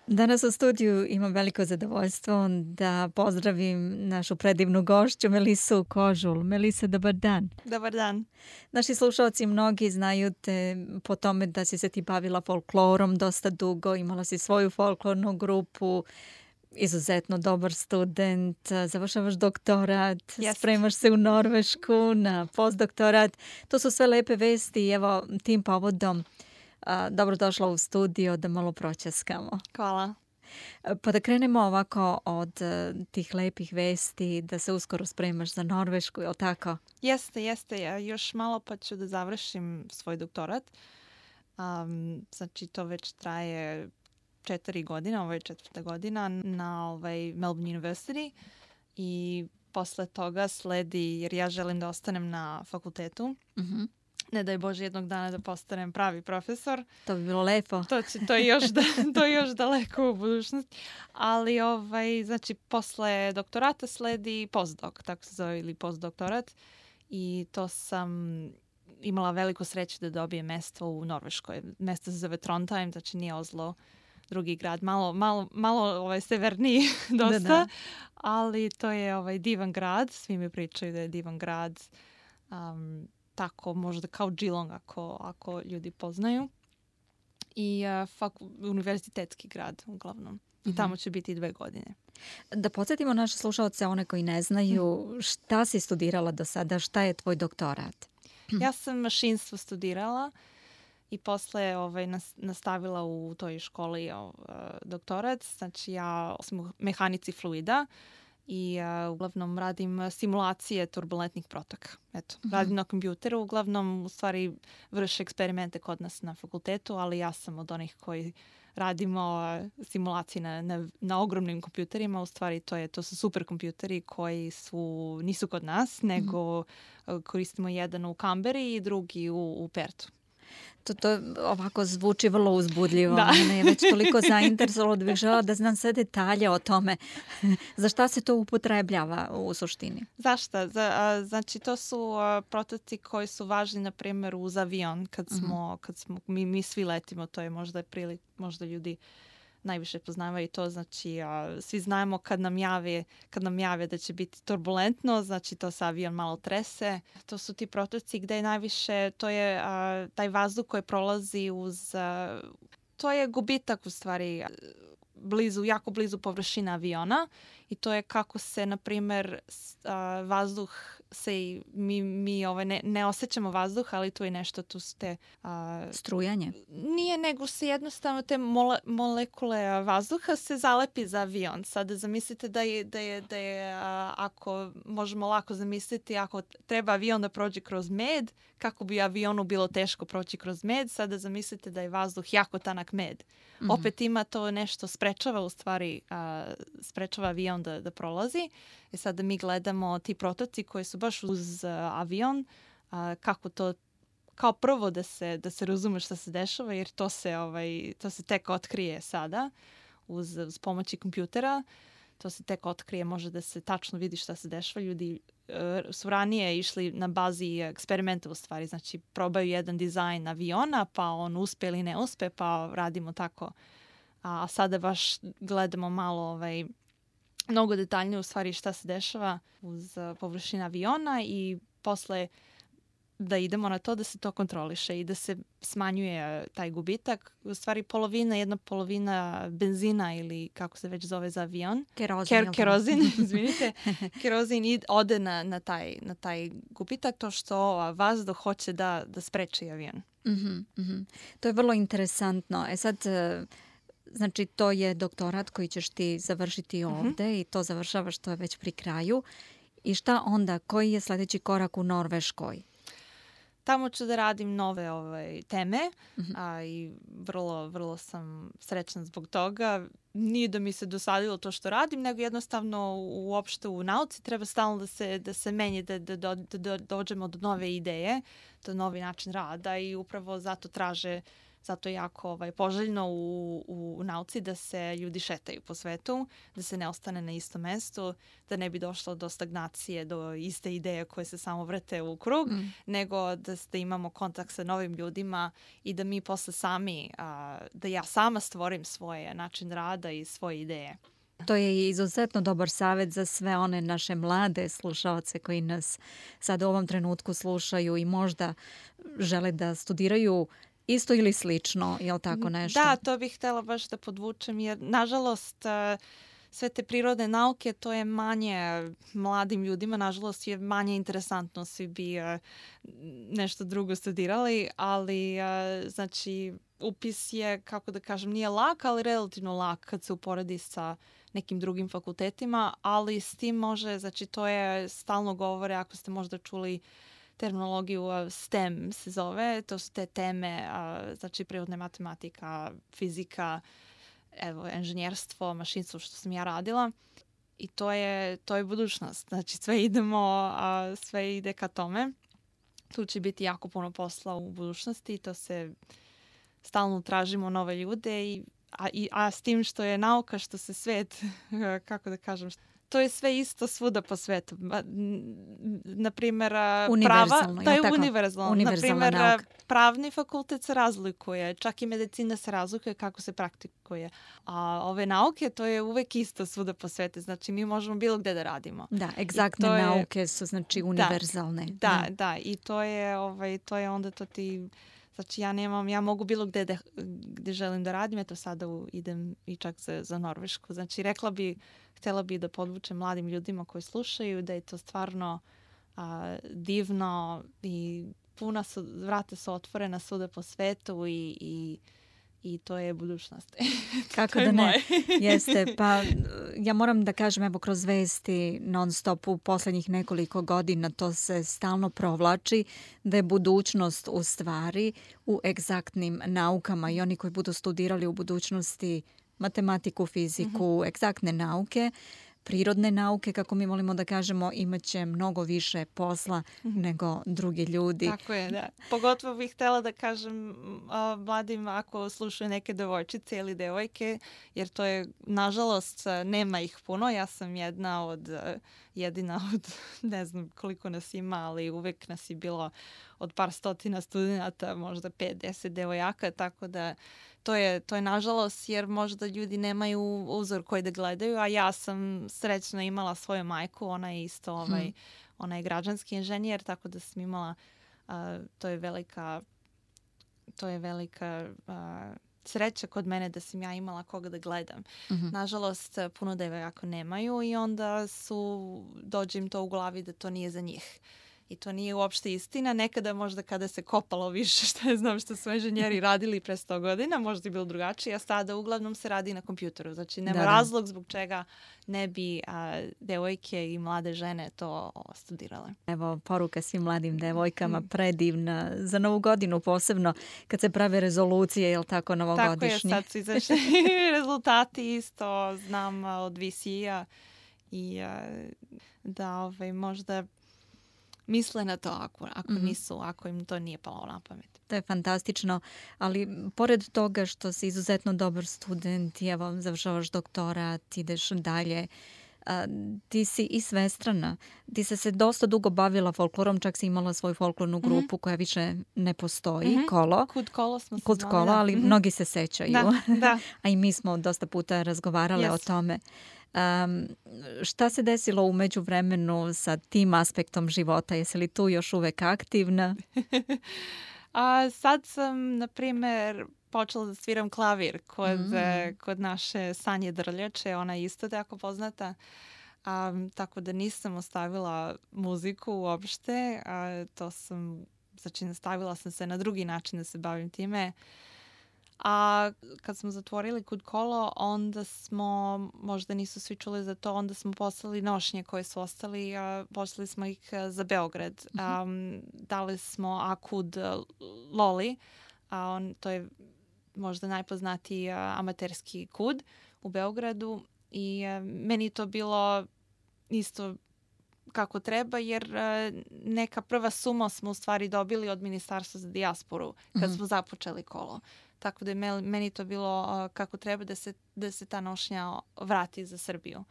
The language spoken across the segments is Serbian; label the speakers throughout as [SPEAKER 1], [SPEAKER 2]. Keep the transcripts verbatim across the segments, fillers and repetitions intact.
[SPEAKER 1] Danas u studiju imam veliko zadovoljstvo da pozdravim našu predivnu gošću Melisu Kožul. Melisa, dobar dan.
[SPEAKER 2] Dobar dan.
[SPEAKER 1] Naši slušalci mnogi znaju te po tome da si se ti bavila folklorom dosta dugo, imala si svoju folklornu grupu, izuzetno dobar student, završavaš doktorat,
[SPEAKER 2] Jest.
[SPEAKER 1] spremaš se u Norvešku na postdoktorat. To su sve lepe vesti i evo tim povodom a, dobrodošla u studio da malo proćaskamo.
[SPEAKER 2] Hvala.
[SPEAKER 1] Pa da krenemo ovako od uh, tih lepih vesti, da se uskoro spremaš za Norvešku, je li tako?
[SPEAKER 2] Jeste, jeste. Ja još malo pa ću da završim svoj doktorat. Um, znači to već traje četiri godine, ovo je četvrta godina na ovaj Melbourne University i posle toga sledi, jer ja želim da ostanem na fakultetu.
[SPEAKER 1] Uh-huh.
[SPEAKER 2] Ne daj Bože jednog dana da postanem pravi profesor.
[SPEAKER 1] To bi bilo lepo.
[SPEAKER 2] To, će, to, je još da, to je još daleko u budućnosti. Ali ovaj, znači posle doktorata sledi postdoc, tako se zove, ili postdoktorat. I to sam imala veliku sreću da dobijem mesto u Norveškoj. Mesto se zove Trondheim, znači nije Oslo, drugi grad, malo, malo, malo ovaj, severniji dosta.
[SPEAKER 1] Da, da.
[SPEAKER 2] Ali to je ovaj, divan grad, svi mi pričaju da je divan grad. Um, tako možda kao Geelong ako, ako ljudi poznaju. I uh, fak, univerzitetski grad uglavnom. I
[SPEAKER 1] Mhm.
[SPEAKER 2] tamo će biti dve godine.
[SPEAKER 1] Da podsjetimo naše slušalce, one koji ne znaju, šta si studirala do sada, šta je tvoj doktorat?
[SPEAKER 2] Ja sam mašinstvo studirala i posle ovaj, nas, nastavila u toj školi uh, doktorat. Znači ja sam u mehanici fluida i uh, uglavnom radim simulacije turbulentnih protoka. Eto,
[SPEAKER 1] Mhm.
[SPEAKER 2] radim na kompjuteru, uglavnom u stvari vrše eksperimente kod nas na fakultetu, ali ja sam od onih koji radimo uh, simulacije na, na, na ogromnim kompjuterima. U stvari to, je, to su super kompjuteri koji su, nisu kod nas, nego uh, koristimo jedan u Canberri i drugi u, u Pertu.
[SPEAKER 1] To, to ovako zvuči vrlo uzbudljivo.
[SPEAKER 2] Da.
[SPEAKER 1] Mene je već toliko zainteresovalo da bih žela da znam sve detalje o tome. Za šta se to upotrebljava u suštini?
[SPEAKER 2] Zašto? Za, a, znači to su a, prototipi koji su važni na primjer uz avion kad smo, kad smo mi, mi svi letimo, to je možda prilik, možda ljudi najviše poznavaju to, znači a, svi znamo kad nam jave, kad nam jave da će biti turbulentno, znači to se avion malo trese. To su ti prototipi gde je najviše, to je a, taj vazduh koji prolazi uz, a, to je gubitak u stvari blizu, jako blizu površina aviona i to je kako se, na primjer, uh, vazduh se, mi, mi ovaj, ne, ne osjećamo vazduh, ali tu je nešto, tu ste... Uh,
[SPEAKER 1] Strujanje?
[SPEAKER 2] Nije, nego se jednostavno te mole, molekule vazduha se zalepi za avion. Sada zamislite da je, da je, da je uh, ako možemo lako zamisliti, ako treba avion da prođe kroz med, kako bi avionu bilo teško proći kroz med, sada zamislite da je vazduh jako tanak med.
[SPEAKER 1] Mhm.
[SPEAKER 2] Opet ima to nešto sprečava u stvari, uh, sprečava avion da, da prolazi. I sada mi gledamo ti prototipi koji su baš uz uh, avion, uh, kako to, kao prvo da se, da se razume šta se dešava, jer to se, ovaj, to se tek otkrije sada uz, uz pomoći kompjutera. To se tek otkrije, može da se tačno vidi šta se dešava. Ljudi uh, su ranije išli na bazi eksperimenta u stvari, znači probaju jedan dizajn aviona, pa on uspe ili ne uspe, pa radimo tako. A sada baš gledamo malo ovaj, mnogo detaljnije u stvari šta se dešava uz uh, površinu aviona i posle da idemo na to da se to kontroliše i da se smanjuje taj gubitak. U stvari polovina, jedna polovina benzina ili kako se već zove za avion.
[SPEAKER 1] Kerozin.
[SPEAKER 2] Ker, kerozin, izvinite. Kerozin id, ode na, na, taj, na taj gubitak, to što vazduh hoće da, da spreči avion.
[SPEAKER 1] Mm-hmm, mm-hmm. To je vrlo interesantno. E sad, znači to je doktorat koji ćeš ti završiti ovde mm-hmm. i to završavaš, to je već pri kraju. I šta onda? Koji je sljedeći korak u Norveškoj?
[SPEAKER 2] Tamo ću da radim nove ovaj, teme
[SPEAKER 1] Mhm.
[SPEAKER 2] a, i vrlo, vrlo sam srećna zbog toga. Nije da mi se dosadilo to što radim, nego jednostavno uopšte u nauci treba stalno da se, da se menje, da, da, da, da dođemo do nove ideje, do novi način rada i upravo zato traže Zato je jako ovaj, poželjno u, u, u nauci da se ljudi šetaju po svetu, da se ne ostane na istom mestu, da ne bi došlo do stagnacije, do iste ideje koje se samo vrte u krug, mm. nego da, da imamo kontakt sa novim ljudima i da mi posle sami, a, da ja sama stvorim svoj način rada i svoje ideje.
[SPEAKER 1] To je izuzetno dobar savjet za sve one naše mlade slušaoce koji nas sad u ovom trenutku slušaju i možda žele da studiraju isto ili slično, je li tako nešto?
[SPEAKER 2] Da, to bih htjela baš da podvučem jer nažalost sve te prirodne nauke to je manje mladim ljudima, nažalost je manje interesantno, svi bi nešto drugo studirali, ali znači upis je, kako da kažem, nije lak, ali relativno lak kad se uporedi sa nekim drugim fakultetima, ali s tim može, znači to je stalno govore, ako ste možda čuli terminologiju S T E M se zove, to su te teme, znači prirodna matematika, fizika, evo, inženjerstvo, mašinstvo što sam ja radila i to je, to je budućnost. Znači sve idemo, sve ide ka tome. Tu će biti jako puno posla u budućnosti, to se stalno tražimo nove ljude i A, i, a s tim što je nauka, što se svet, kako da kažem, to je sve isto svuda po svetu. Naprimjer, prava, to je univerzalno. Naprimjer, pravni fakultet se razlikuje, čak i medicina se razlikuje kako se praktikuje. A ove nauke, to je uvek isto svuda po svetu. Znači, mi možemo bilo gde da radimo.
[SPEAKER 1] Da, egzaktne je, nauke su znači univerzalne.
[SPEAKER 2] Da, da, da, da. I to je, ovaj, to je onda to ti... Znači ja nemam, ja mogu bilo gde da, gde želim da radim, eto sada u, idem i čak za, za Norvešku. Znači rekla bi, htjela bi da podvučem mladim ljudima koji slušaju da je to stvarno a, divno i puna su, vrata su otvorena svuda po svetu i, i i to je budućnost.
[SPEAKER 1] Kako da ne? Jeste. Pa ja moram da kažem, evo kroz vesti non stop u poslednjih nekoliko godina to se stalno provlači da je budućnost u stvari u egzaktnim naukama i oni koji budu studirali u budućnosti matematiku, fiziku, mm-hmm. egzaktne nauke, prirodne nauke, kako mi volimo da kažemo, imaće mnogo više posla nego drugi ljudi.
[SPEAKER 2] Tako je, da. Pogotovo bih htjela da kažem uh, mladim ako slušaju neke devojčice ili devojke, jer to je, nažalost, nema ih puno. Ja sam jedna od, uh, jedina od, ne znam koliko nas ima, ali uvek nas je bilo od par stotina studenta, možda pet, deset devojaka, tako da To je, to je nažalost jer možda ljudi nemaju uzor koji da gledaju, a ja sam srećno imala svoju majku, ona je isto ovaj, hmm. ona je građanski inženjer, tako da sam imala, uh, to je velika, to je velika uh, sreća kod mene da sam ja imala koga da gledam. Mm-hmm. Nažalost, puno devojaka nemaju i onda su, dođe im to u glavi da to nije za njih. I to nije uopšte istina. Nekada možda kada se kopalo više, što je znam što su inženjeri radili pre sto godina, možda je bilo drugačije, a sada uglavnom se radi na kompjuteru. Znači nema da, razlog zbog čega ne bi a, devojke i mlade žene to o, studirale.
[SPEAKER 1] Evo, poruka svim mladim devojkama, predivna. Za Novu godinu posebno, kad se prave rezolucije, je li tako, novogodišnje?
[SPEAKER 2] Tako je, sad su izašli rezultati isto, znam od V C-a i a, da ovaj, možda misle na to ako, ako mm-hmm. nisu, ako im to nije palo na pamet.
[SPEAKER 1] To je fantastično, ali pored toga što si izuzetno dobar student i evo završavaš doktorat, ideš dalje, a, ti si i svestrana. Ti se se dosta dugo bavila folklorom, čak si imala svoju folklornu grupu mm-hmm. koja više ne postoji, mm-hmm. Kolo.
[SPEAKER 2] Kud Kolo smo se
[SPEAKER 1] Kud
[SPEAKER 2] znali,
[SPEAKER 1] Kolo, ali mm-hmm. mnogi se sećaju.
[SPEAKER 2] Da, da.
[SPEAKER 1] A i mi smo dosta puta razgovarale yes. o tome. Um, šta se desilo u međuvremenu sa tim aspektom života? Jesi li tu još uvek aktivna?
[SPEAKER 2] A, sad sam, na primjer, počela da sviram klavir kod, mm. kod naše Sanje Drljače. Ona je isto tako poznata. Um, tako da nisam ostavila muziku uopšte. A, to sam, znači nastavila sam se na drugi način da se bavim time. A kad smo zatvorili Kud Kolo, onda smo, možda nisu svi čuli za to, onda smo poslali nošnje koje su ostali, a poslali smo ih za Beograd. Mm-hmm. Um, dali smo Akud Loli, a on, to je možda najpoznatiji a, amaterski kud u Beogradu i a, meni to bilo isto kako treba, jer uh, neka prva suma smo u stvari dobili od Ministarstva za dijasporu kad mm-hmm. smo započeli Kolo. Tako da je meni to bilo uh, kako treba da se, da se ta nošnja vrati za Srbiju.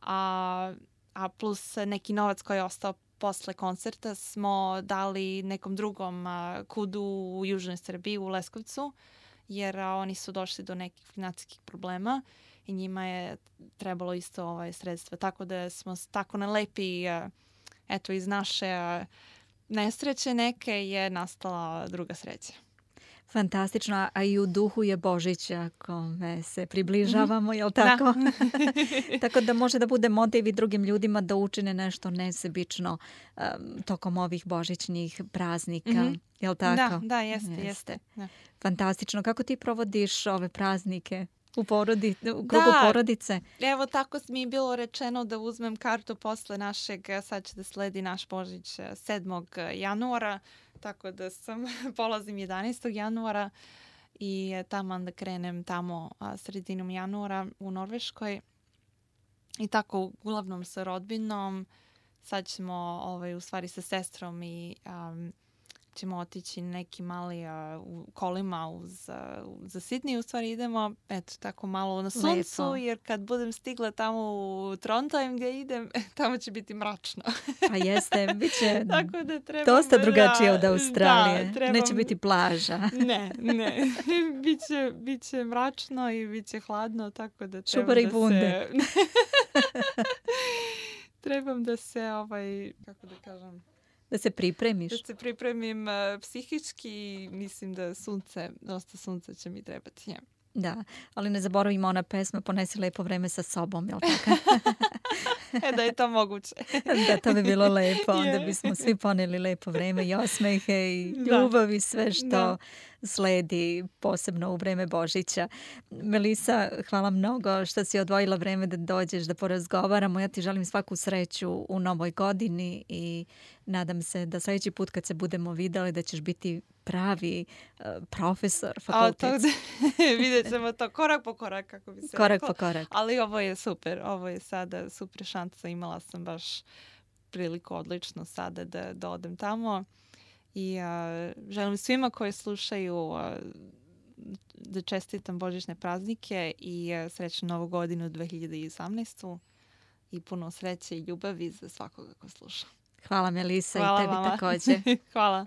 [SPEAKER 2] A, a plus neki novac koji je ostao posle koncerta smo dali nekom drugom uh, kudu u Južnoj Srbiji, u Leskovcu, jer uh, oni su došli do nekih financijskih problema i njima je trebalo isto ovaj sredstva. Tako da smo tako na lepi, uh, eto, iz naše uh, nesreće neke je nastala druga sreća.
[SPEAKER 1] Fantastično, a i u duhu je Božića kome se približavamo, mm-hmm. jel tako?
[SPEAKER 2] Da.
[SPEAKER 1] Tako da može da bude motiv i drugim ljudima da učine nešto nesebično um, tokom ovih božićnih praznika, mm-hmm. jel tako?
[SPEAKER 2] Da, da, jeste, jeste. jeste. Da.
[SPEAKER 1] Fantastično. Kako ti provodiš ove praznike? U, porodi, u krugu
[SPEAKER 2] da,
[SPEAKER 1] porodice.
[SPEAKER 2] Evo tako mi je bilo rečeno da uzmem kartu posle našeg, sad će da sledi naš Božić sedmog januara, tako da sam polazim jedanaestog januara i tamo da krenem tamo sredinom januara u Norveškoj. I tako uglavnom sa rodbinom, sad ćemo ovaj, u stvari sa sestrom i um, ćemo otići neki mali uh, u kolima uz, uh, za Sidney. U stvari idemo eto, tako malo na suncu, lepo. Jer kad budem stigla tamo u Trondheim gdje idem, tamo će biti mračno.
[SPEAKER 1] A jeste, bit će
[SPEAKER 2] tako da trebam,
[SPEAKER 1] dosta drugačije od Australije.
[SPEAKER 2] Da, trebam,
[SPEAKER 1] neće biti plaža.
[SPEAKER 2] ne, ne. Biće, biće mračno i biće hladno, tako da trebam
[SPEAKER 1] Čubar i
[SPEAKER 2] da
[SPEAKER 1] bunde.
[SPEAKER 2] se... trebam da se, ovaj, kako da kažem...
[SPEAKER 1] Da se pripremiš.
[SPEAKER 2] Da se pripremim uh, psihički. Mislim da sunce, dosta sunca će mi trebati. Ja.
[SPEAKER 1] Da, ali ne zaboravimo ona pesma Ponesi lepo vreme sa sobom, jel tako?
[SPEAKER 2] e, da je to moguće.
[SPEAKER 1] Da, to bi bilo lepo. Onda bismo svi poneli lepo vreme i osmehe i ljubav i sve što da. sledi, posebno u vreme Božića. Melisa, hvala mnogo što si odvojila vreme da dođeš da porazgovaramo. Ja ti želim svaku sreću u novoj godini i nadam se da sljedeći put kad se budemo videli da ćeš biti pravi uh, profesor fakultetski.
[SPEAKER 2] Vidjet ćemo to korak po korak, kako bi se
[SPEAKER 1] Korak
[SPEAKER 2] rekao.
[SPEAKER 1] po korak.
[SPEAKER 2] Ali ovo je super. Ovo je sada super šansa. Imala sam baš priliku odlično sada da, da odem tamo. I uh, želim svima koji slušaju uh, da čestitam božićne praznike i uh, srećnu novu godinu dve hiljade osamnaestu i puno sreće i ljubavi za svakoga ko sluša.
[SPEAKER 1] Hvala Melisa.
[SPEAKER 2] Hvala
[SPEAKER 1] i tebi
[SPEAKER 2] vama.
[SPEAKER 1] također.
[SPEAKER 2] Hvala.